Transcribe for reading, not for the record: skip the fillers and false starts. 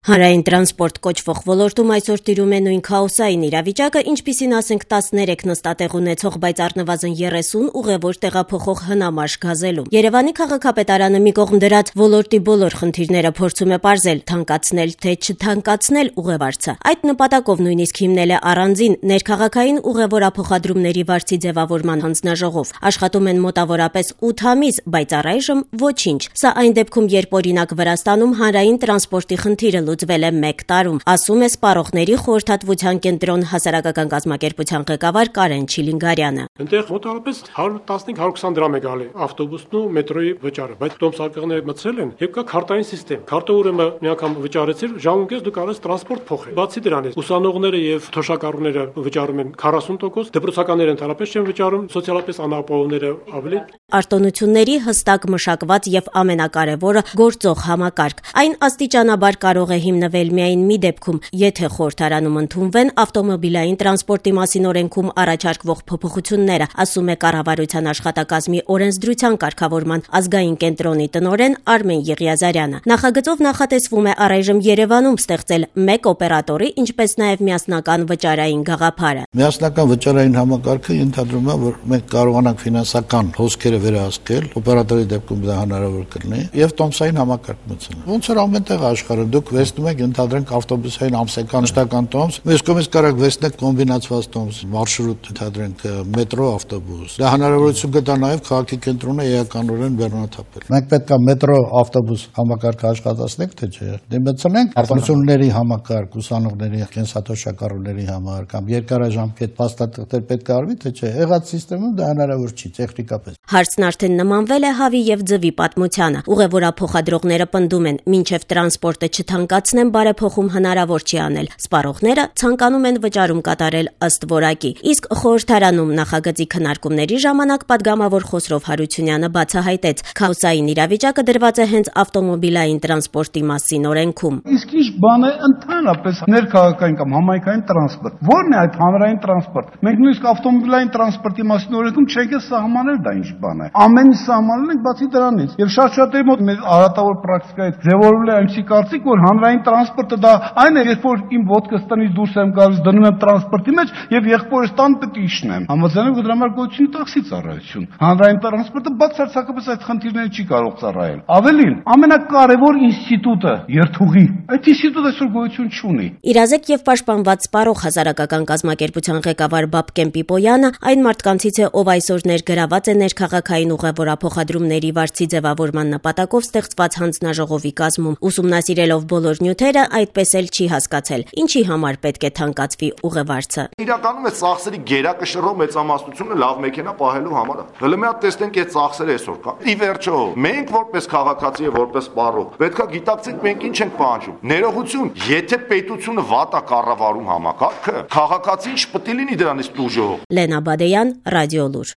Հանրային տրանսպորտ կոչվող ոլորտում այսօր տիրում է նույն քաոսային իրավիճակը, ինչպիսին ասենք 13 նստատեղ ունեցող, բայց առնվազն 30 ուղևոր տեղափոխող հնամաշ գազելում։ Երևանի քաղաքապետարանը մի կողմ դրած ոլորտի բոլոր խնդիրները փորձում է պարզել, թանկացնել թե չթանկացնել ուղևարցը։ Այդ նպատակով նույնիսկ հիմնել է առանձին ներքաղաքային ուղևորափոխադրումների վարձի ձևավորման հանձնաժողով։ Աշխատում են մոտավորապես 8 ամիս, բայց առայժմ ոչինչ։ Սա այն դեպքում, երբ օրինակ Վրաստանում հանրային տրանսպորտի խնդիրը լուծվել է 1 տարում, ասում է Սպառողների խորհրդատվության կենտրոն հասարակական կազմակերպության ղեկավար Կարեն Չիլինգարյանը։ Այնտեղ մոտավորապես 115-120 դրամ է գալի ավտոբուսն ու մետրոյի վճարը, բայց տոմսարկղները մտցրել են եւ կա քարտային համակարգ։ Քարտը ուրեմն մի անգամ վճարեցիր, ժամունքից դու կարող ես տրանսպորտ փոխել։ Բացի դրանից, ուսանողները եւ թոշակառուները վճարում են 40%, դպրոցականները ընդհանրապես չեն վճարում, սոցիալապես անապահովները ավելի։ Արտոնությունների հստակ մշակված եւ ամենակարևորը գործող համակարգ։ Այն աստիճանաբար կարող է հիմնվել միայն մի դեպքում, եթե խորհրդարանում ընդունվեն ավտոմոբիլային տրանսպորտի մասին օրենքում առաջարկվող փոփոխությունները, ասում է կառավարության աշխատակազմի օրենսդրության կարգավորման ազգային կենտրոնի տնօրեն Արմեն Եղիազարյանը։ Նախագծով նախատեսվում է առայժմ Երևանում ստեղծել 1 օպերատորի, ինչպես նաեւ միասնական վճարային գաղափարը։ Միասնական վճարային համակարգը ենթադրում է, որ մենք կարողանանք ֆինանսական հոսքերը վերահսկել, օպերատորի դեպքում դա հնարավոր կլինի, եւ տոմսային համակարգ մտցնել։ Ոնց որ ամենտեղ աշխարհում դուք վերցնում եք ընդհանրենք ավտոբուսային ամսական մշտական տոմս, մյուս կողմից կարող վերցնեք կոմբինացված տոմս, մարշրուտ ընդհանրենք մետրո ավտոբուս։ Դա հնարավորություն կտա նաեւ քաղաքի կենտրոնը էականորեն բեռնաթափել։ Մենք պետք է մետրո ավտոբուս համակարգը աշխատացնենք, թե չէ։ Դե մտցնենք արտոնությունների համակարգ, ուսանողների, կենսաթոշակառուների համար կամ երկարաժամկետ փաստաթղթեր պետք է արվի, թե չէ։ Եղած համակարգում դա հնարավոր չի տեխնիկապես։ Հարցն արդեն նմանվել է հավի եւ ձվի պատմությանը։ Ուղևորափոխադրողները պնդում են, մինչեւ տրանսպորտը չթանկացնեն, բարեփոխում հնարավոր չի անել։ Սպառողները ցանկանում են վճարում կատարել ըստ որակի։ Իսկ խորհրդարանում նախագծի քննարկումների ժամանակ падգամավոր Խոսրով Հարությունյանը բացահայտեց, քաոսային իրավիճակը դրված է հենց ավտոմոբիլային տրանսպորտի մասին օրենքում։ Իսկ ինչ բան է ընդհանրապես ներքաղաքային կամ համայնքային տրանսպորտ։ Ո՞րն է այդ հանրային տրանսպորտ։ Մենք նույնիսկ ավտոմոբիլային տրանսպորտի մասին օրենքում չենք սահմանել դա ինչ բան է։ Ամեն ինչ սահմանել ենք բացի դրանից։ Եվ շատ-շատերի մոտ մեր արատավոր պրակտիկայից ձևավորվել է այնպիսի կարծիք, որ հանրային տրանսպորտը դա այն է, երբ որ իմ ոտքս տնից դուրս եմ գալիս, դնում եմ տրանսպորտի մեջ եւ եղբորս տան պետք է իջնեմ։ Համաձայնեմ, որ դրա համար գոյություն տաքսի ծառայություն։ Հանրային տրանսպորտը բացարձակապես այդ խնդիրները չի կարող ծառայել։ Ավելին, ամենակարևոր ինստիտուտը երթուղի, այդ ինստիտուտը այսօր գոյություն չունի։ Իրազեկ եւ պաշտպանված Սպառող հասարակական կազմակերպության ղեկավար Բաբկեն Պիպոյանը այն մարդկանցից է, ով այսօր ներգրաված է ներքաղաքային ուղևորափոխադրումների վարձի ձևավորման նպատակով ստեղծված հանձնաժողովի կազմում։ Ուսումնասիրելով բոլոր նյութերը, այդպես էլ չի հասկացել, ինչի համար պետք է թանկացվի ուղևարցը։ Իրականում է ծախսերի գերակշռող մեծամասնությունը լավ մեքենա պահելու համար է։ Հələ մի հատ տեսնենք այդ ծախսերը այսօր կա։ Ի վերջո, մենք որպես քաղաքացի եւ որպես սպառող պետքա գիտակցենք մենք ինչ ենք պահանջում։ Ներողություն, եթե պետությունը վատ է կառավարում համակարգը, քաղաքացին չպետք է լինի դրանից տուժող։ Լենա Բադեյան, Ռադիոլուր։